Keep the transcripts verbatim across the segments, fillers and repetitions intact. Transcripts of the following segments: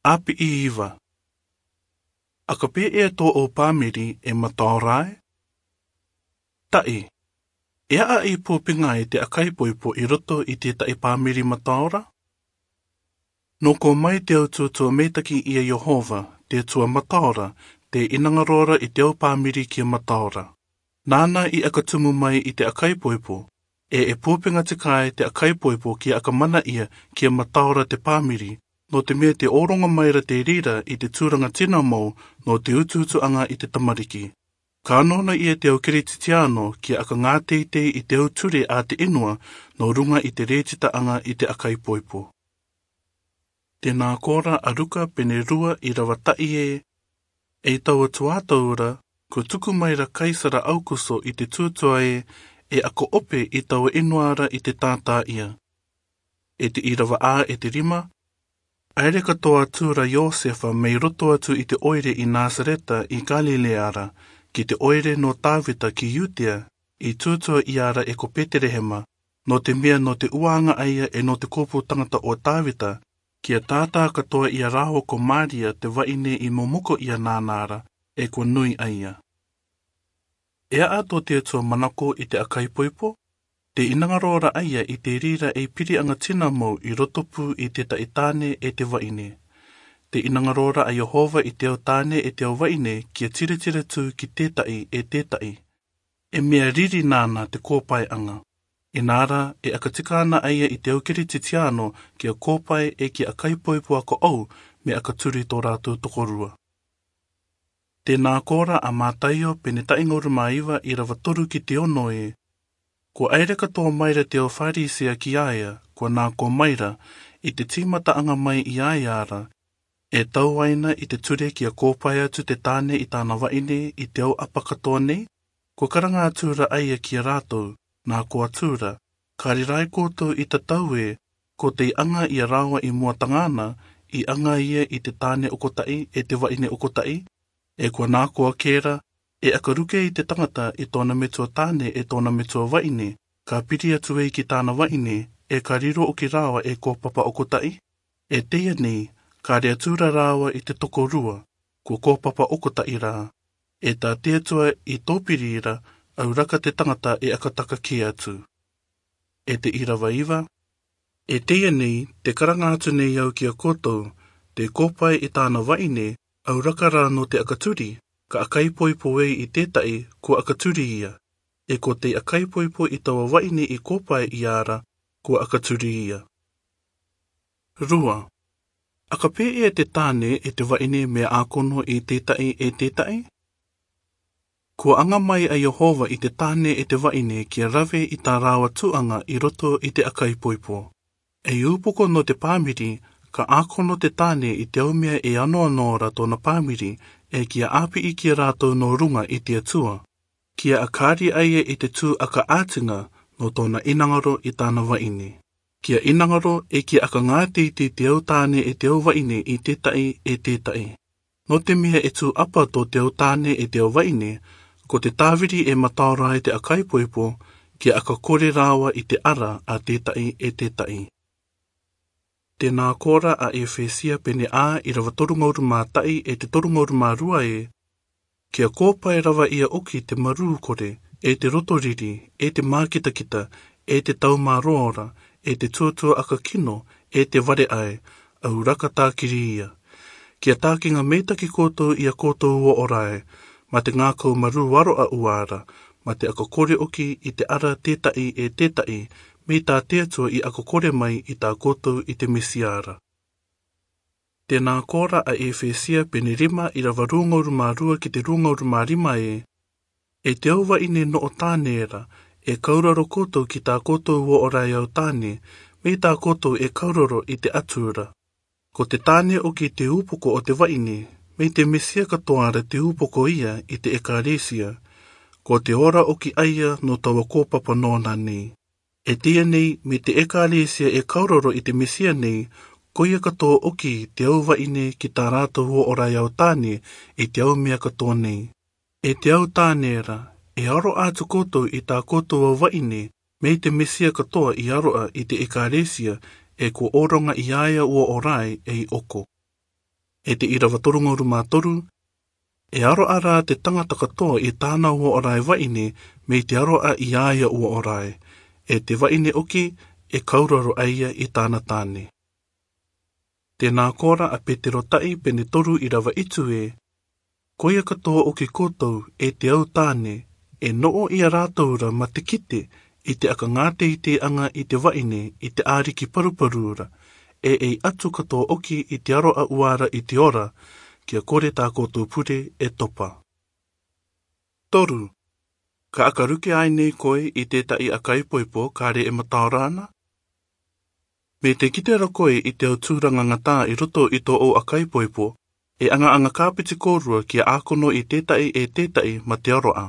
Api iva. Aka pē ē tō ʻou pāmiri e mataora ē? Taʻi. E aʻa ʻi pūpenga e te ʻakaipoipo ʻi roto ʻi te taʻi pāmiri mataora? Nō kō mai te au tūtū meitaki ʻia Iehova, te Atua mataora, te inangaroara ʻi te au pāmiri kia mataora. Nāna ʻi aka tumu mai ʻi te ʻakaipoipo, ē e pūpenga tika e te ʻakaipoipo kia aka mana ʻia kia mataora te pāmiri, nō te mea te ʻōrongo mai ra te rira ʻi te tūranga tina mau nō te utuutuʻanga ʻi te tamariki. Ka nōna ʻia te au Keretitiano kia aka ngā teitei ʻi te au ture a te inua nō runga ʻi te retitaʻanga ʻi te ʻakaipoipo. Tēnā kōrā a Ruka pene rua ʻi rava taʻi ē, e taua tuataura, kua tuku mai ra Kaisara Aukuso ʻi te tūtū ē, e aka ope ʻi taua inua ra ʻi te tātāʻia. E te ʻi rava ā e te rima, ʻaere katoa atu ra Iosefa mei roto atu ʻi te ʻoire ʻi Nasareta ʻi Kalilea ra, ki te ʻoire nō Tāvita ki Iutea, ʻi tūtū ʻia ra e ko Peterehema, nō te mea nō te uaanga ʻaia e nō te kōpū tangata ʻo Tāvita, kia tātā katoa ʻia rāua ko Maria te vaʻine ʻi momoko ʻia nāna ra, e kua nui ʻaia. E aʻa tō te Atua manako ʻi te ʻakaipoipo, te inangaroara ʻaia ʻi te rira e piriʻanga tina mau ʻi roto pū ʻi te taʻi tāne e te vaʻine. Te inangaroara a Iehova ʻi te au tāne e te au vaʻine kia tiritira tū ki te taʻi e te taʻi. E mea riri nāna te kōpaeʻanga. Inā ra, e aka tika ana ʻaia ʻi te au Keretitiano kia kōpae e kia ʻakaipoipo aka ʻou, mea aka turi tō rātou tokorua. Tēnā kōrā a Mataio pene taʻi ngauru mā iva ʻi rava toru ki te ono ē, kua ʻaere katoa mai ra te au Pharisea ki a ia, kua nā kō mai ra, ʻi te tīmataʻanga mai ʻi a ia ra, e tauaina ʻi te ture kia kōpae atu te tāne ʻi tāna vaʻine ʻi te au ʻapa katoa nei, kua karanga atu ra ʻaia kia rātou, nā kō atu ra, ka riro ai koutou ʻi tatau ē, ko tei anga ʻia rāua ʻi mua tangana, ʻi anga ia ʻi te tāne ʻokotaʻi e te vaʻine ʻokotaʻi, e kua nā kō ake ra, e aka ruke ʻi te tangata ʻi tōna metua tāne e tōna metua vaʻine, ka piri atu ai ki tāna vaʻine, e ka riro ʻoki rāua e kōpapa ʻokotaʻi. E teie nei, ka riro atu ra rāua ʻi te tokorua, kua kōpapa ʻokotaʻi rā. E tā te Atua ʻi tōpiri ra, ʻauraka te tangata e aka taka kē atu. E te ʻi rava iva, e teie nei, te karanga atu nei au kia koutou, te kōpae ʻi tāna vaʻine, ʻauraka rā nō te aka turi, ka ʻakaipoipo ai ʻi te taʻi, kua aka turi ia. E ko tei ʻakaipoipo ʻi taua vaʻine ʻi kōpae ʻia ra, kua aka turi ia. Rua. Aka pē ē te tāne e te vaʻine mea ʻākono ʻi te taʻi e te taʻi? Kua anga mai a Iehova ʻi te tāne e te vaʻine kia rave ʻi tā rāua tuʻanga ʻi roto ʻi te ʻakaipoipo. E upoko nō te pāmiri, ka ʻākono te tāne ʻi te au mea e anoano ra tōna pāmiri, e kia ʻāpī ʻi kia rātou nō runga ʻi te Atua. Kia aka ari ʻaia ʻi te tū aka ātinga nō tōna inangaro ʻi tāna vaʻine. Kia inangaro e kia aka ngā teitei te au tāne e te au vaʻine ʻi te taʻi e te taʻi. Nō te mea e tū ʻapa tō te au tāne e te au vaʻine, ko te tāviri e mataora ai te ʻakaipoipo, kia aka kore rāua ʻi te ara a te taʻi e te taʻi. Tēnā kōrā a Efesia pene ā ʻi rava toru ngauru mā taʻi e te toru ngauru mā rua ē, kia kōpae rava ia ʻoki te marū kore, e te roto riri, e te mākitakita, e te taumāroara, e te tuatua aka kino, e te vare ʻae, ʻauraka tākiri ia. Kia tākinga meitaki koutou ʻia koutou uō ʻo rā ē, mā te ngākau marū aroʻa uā ra, mā te aka kore ʻoki ʻi te ara te taʻi e te taʻi, mei tā te Atua i aka kore mai ʻi tā koutou ʻi te Mesia ra. Tēnā kōrā a Efesia pene rima ʻi rava rua ngauru mā rua ki te rua ngauru mā rima ē, e te au vaʻine noʻo tāne ra, e kauroro koutou ki tā koutou uō ʻo rā e au tāne, mei tā koutou e kauroro ʻi te Atua ra. Ko te tāne ʻoki te upoko o te vaʻine, mei te Mesia katoa ra te upoko ia ʻi te ʻekalesia, ko te ora ʻoki ʻaia nō taua kōpapa nōna nei. E teie nei, mei te ʻekalesia e kauroro ʻi te Mesia nei, ko ia katoa ʻoki te au vaʻine ki tā rātou uō ʻo rā e au tāne ʻi te au mea katoa nei. E te au tāne ra, e aroʻa atu koutou ʻi tā koutou au vaʻine, mei te Mesia katoa i aroʻa ʻi te ʻekalesia, e kua ʻōroŋa ʻi a ia uō ʻo rā ē ei ʻoko. E te irava toru ngauru mā toru, e aroa ra te tangata katoa i tāna uō ora e vaʻine, mei te aroa i a ia uō ora e. E te vaʻine ʻoki, e kauraro a ia i tāna tāne. Tēnā koa ra a Petero taʻi pene toru irava itu ē, ko ia katoa ʻoki koutou e te au tāne, e noʻo ia rātou ra mā te kite i te aka ngāteiteaʻanga i te vaʻine i te ʻāriki paruparu ra, e ei atu katoa ʻoki i te aroa ua ra i te ora, kia kore tā koutou pure e topa. Toru, ka aka ruke ai nei koe i tētaʻi aka ipoipo kare e mataora ana? Mei te kite ra koe i te au tūranga ngatā i roto i tō ʻou aka ipoipo, e aŋa-aŋa kāpiti kōrua kia ʻākono i tētaʻi e tētaʻi mā te aroa.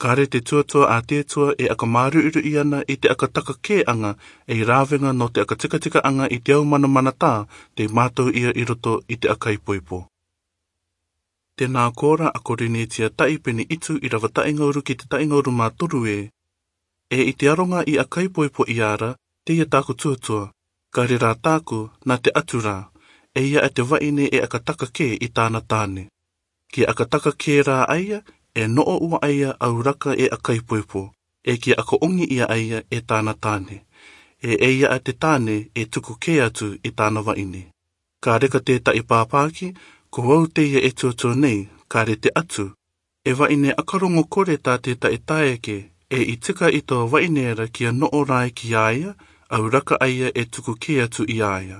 Kare te tuatua a te Atua e aka māruiruʻi ana i te aka taka kē aŋa ei rāveaŋa nō te aka tikatikaʻaŋa i te au manamanatā tei mātau ia i roto i te aka ipoipo. Tēnā koa ra a Korinetia taʻi pene itu irava taʻi ngauru ki te taʻi ngauru mā toru ē, e i te aronga i aka ipoipo ia ra, teie tāku tuatua, kare rā tāku, nā te Atua rā, e ia a te vaʻine e aka taka kē i tāna tāne. Kia aka taka kē rā a ia, e noʻo ua a ia au raka e aka ipoipo, e kia aka oŋi ia a ia e tāna tāne. E e ia a te tāne e tuku kē atu i tāna vaʻine. Ka reka tētaʻi pāpāki, ko au teie e tuatua nei, kare te Atua, e vaʻine aka rongo kore tā tētaʻi taeaʻe, e i tika i taua vaʻine ra kia noʻo rā e ki a ia, au raka a ia e tuku kē atu i a ia.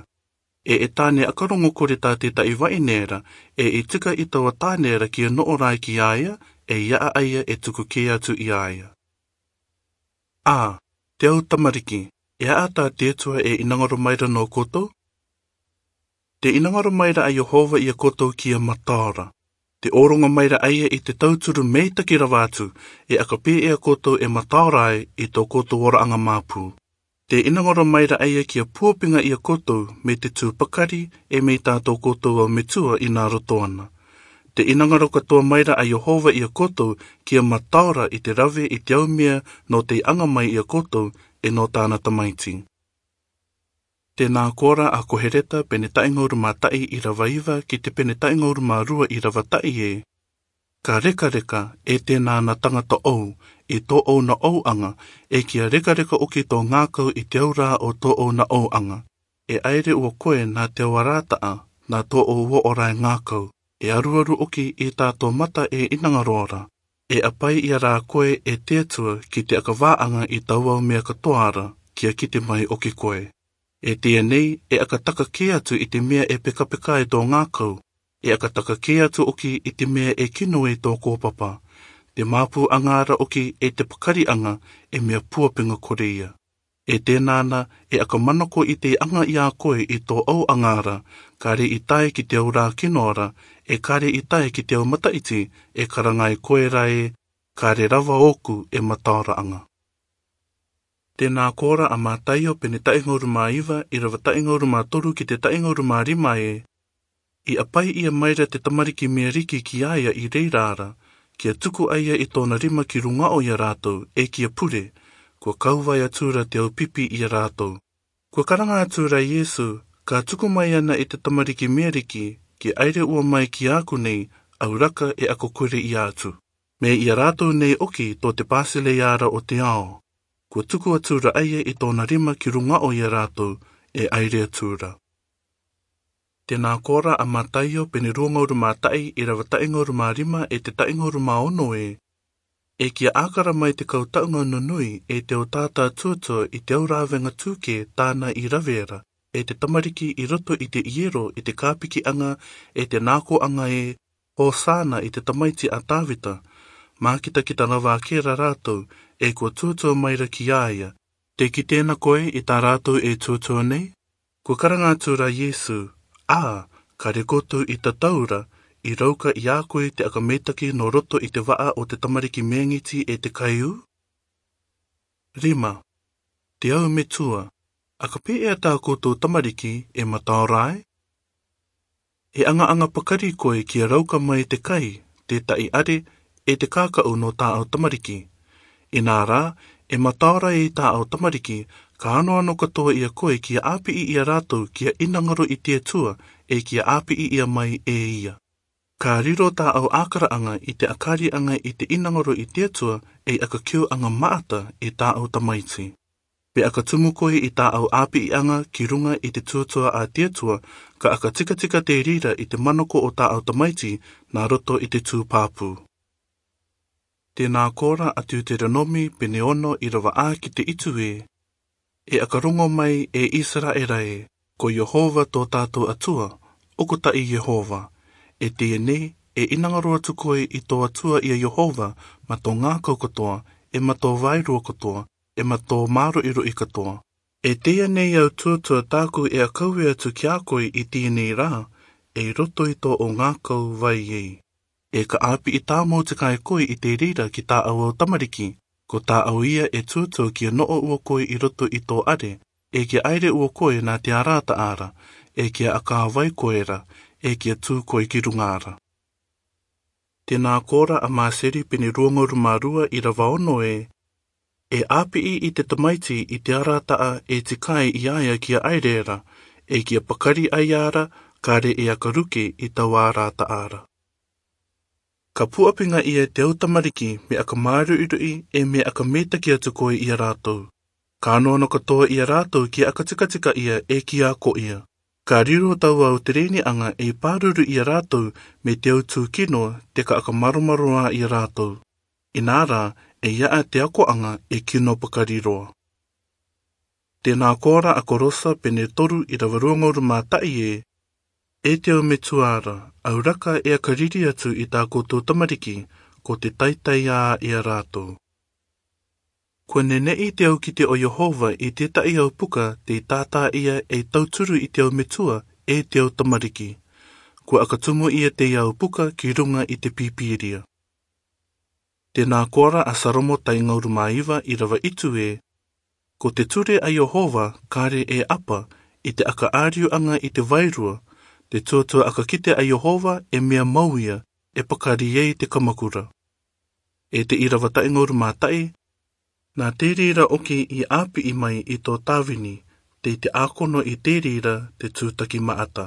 E e tāne aka rongo kore tā tētaʻi vaʻine ra, e i tika i taua tāne ra kia noʻo rā e ki a ia, e ia a ia e tuku kē atu i a ia. A, te au tamariki, e a tā te Atua e ʻinangaro mai ra nō koutou? Te ʻinangaro mai ra a Iehova ia koutou kia mataora. Te ʻōroŋa mai ra a ia i te tauturu meitaki rava atu, e aka pē ia koutou e mataora ai i tō koutou ora aŋa māpū. Te ʻinangaro mai ra a ia kia puapinga ia koutou mei te tū pakari, e mei tā tō koutou au metua i nā roto ana. Te ʻinangaro katoa mai ra a Iehova ia koutou kia mataora i te rave i te au mea nō tei aŋa mai ia koutou, e nō tāna tamaiti. Tēnā koa ra a Koheleta pene taʻi ngauru mā taʻi irava iva ki te pene taʻi ngauru mā rua irava taʻi ē. Ka rekareka, e tēnā na tangata ʻou, i tō ʻou na ʻouaŋa, e kia rekareka ʻoki tō ngākau i te au rā o tō ʻou na ʻouaŋa. E ʻaere ua koe nā te au arataʻa, nā tō ʻou uō ora e ngākau, e aruaru ʻoki i tā tō mata e ʻinangaro ra. E ʻapai ia rā koe e te Atua ki te aka vāaŋa i taua au mea katoa ra, kia kite mai ʻoki koe. E teie nei, e aka taka kē atu i te mea e pekapeka ai tō ngākau, e aka taka kē atu ʻoki i te mea e kino ai tō kōpapa. Te māpū aŋa ra ʻoki e te pakariaŋa, e mea puapinga kore ia. E tēnā na, e aka manako i te aŋa i a koe i tō ʻouaŋa ra, kare i tae ki te au rā kino ra, e kare i tae ki te au mataʻiti, e karanga ai koe ra e, kare rava ōku e mataoraaŋa. Tēnā koa ra a Mataio pene taʻi ngauru mā iva, irava taʻi ngauru mā toru ki te taʻi ngauru mā rima ē. I ʻapai ia mai ra te tamariki meriki ki a ia i reira ra, kia tuku a ia i tōna rima ki ruŋa o ia rātou, e kia pure, kua kau vai atura te au pipi ia rātou. Kua karanga atura a Iesu, ka tuku mai ana i te tamariki meriki, kia ʻaere ua mai ki a ʻoku nei, au raka e aka kore ia atu. Mei ia rātou nei ʻoki tō te Pasileia ra o te ao. Kua tuku atura a ia i tōna rima ki ruŋa o ia rātou, e ʻaere atura. Tēnā koa ra a Mataio pene rua ngauru mā taʻi, irava taʻi ngauru mā rima e te taʻi ngauru mā ono ē. E kia ʻākara mai te kau taʻuŋa nunui e te au tātā tuatua i te au rāveaŋa tūkē tāna i rave ra, e te tamariki i roto i te iero i te kāpikiaŋa, e te nākoaŋa ē, Hōsana i te tamaiti a Tāvita. Mākitakita rava ake ra rātou, e kua tuatua mai ra ki a ia. Te kite na koe i tā rātou e tuatua nei? Kua karanga atura a Iesu, ʻĀ, kare koutou i tatau ra, i rauka i a koe te aka meitaki nō roto i te vaʻa o te tamariki mēŋiti e te kaiū? Rima, te au metua, aka pē ʻe a tā koutou tamariki e mataora ai? E aŋa-aŋa pakari koe kia rauka mai te kai, te taʻiʻare, e te kākaʻu nō tāʻau tamariki. Inā rā, e mataora ei tāʻau tamariki, ka anoano katoa ia koe kia ʻāpiʻi ia rātou kia ʻinangaro i te Atua, ʻE kia ʻāpiʻi ia mai e ia. Ka riro tāʻau ʻākaraʻanga i te ʻakariʻanga i te ʻinangaro i te Atua, ʻe ʻakakiu ʻanga maʻata e tāʻau tamaiti. Pea ʻaka tumu koe i tāʻau ʻāpiʻiʻanga ki ruŋa i te tuatua a te Atua, ka ʻaka tikatika te reira i te manako o tāʻau tamaiti nā roto i te tū pāpū. Tēnā kōrā a Teuteronomi pene ono ʻīrava ā ki te hitu ē. ʻE ʻaka rongo mai e ʻĪsaraʻela ē, ko Iehova tō tātou Atua, ʻoku taʻi Iehova. ʻE teie nei, ʻe ʻinangaro atu koe i tō Atua ʻia Iehova, mā tō ngākau kotoa, ʻe mā tō vairua kotoa, ʻe mā tō māroʻiroʻi kotoa. ʻE teie nei au tuatua tāku ʻe ʻakauē atu kiā koe i teie nei rā, ʻe i roto i tō ʻou ngākau vai ē. ʻE ka ʻāpiʻi tāmau te kai koe i te reira ki tāʻau au tamariki, ko tāʻau ia ʻe tuatua kia noʻo ua koe i roto i tō ʻare, ʻe kia ʻaire ua koe nā te arataʻa ra, ʻe kia ʻakā vai koe ra, ʻe kia tū koe ki ruŋa ra. Tēnā kōrā a Māseri pene rua ngauru mā rua ʻīrava ono ē. ʻE ʻāpiʻi i te tamaiti i te arataʻa ʻe tikai ia ia kia ʻaire ra, ʻe kia pakari ʻaia ra, kāre ʻe ʻaka ruke i taua arataʻa ra. Ka puʻapinga ia te au tamariki mea ʻaka māroʻiroʻi ʻe mea ʻaka mētaki atu koe ʻia rātou. Ka nono katoa ʻia rātou kia ʻaka tikatika ia ʻe kia ako ia. Ka riro taua au terēniʻanga ʻe pāruru ʻia rātou mei te au tūkino te ka ʻaka maromaroā ʻia rātou. Inā rā, ʻe ʻi ai te akoʻanga ʻe kino pakari roa. Tēnā kōrā a Korosa pene toru ʻīrava rua ngauru mā taʻi ē. ʻE te au metua ra, ʻauraka ʻe ʻaka riri atu i tā koutou tamariki, ko te taitai ā ʻia rātou. Kua neneʻi te au kite o Iehova i tētahi au puka tei tātā ia ʻe tauturu i te au metua ʻe te au tamariki. Kua ʻaka tumu ia te au puka ki ruŋa i te Pīpīria. Tēnā kōrā a Salomo tahi ngauru mā iva ʻīrava hitu ē. Ko te ture a Iehova kāre ʻe ʻapa i te ʻaka ʻāriuʻanga i te vairua, te tuatua ʻaka kite a Iehova ʻe mea mau ia, ʻe pakari ei te kamakura. ʻE te ʻīrava tahi ngauru mā taʻi, nā te reira ʻoku ʻāpiʻi mai i tō Tāvini, tei te ʻākono i te reira te tūtaki maʻata.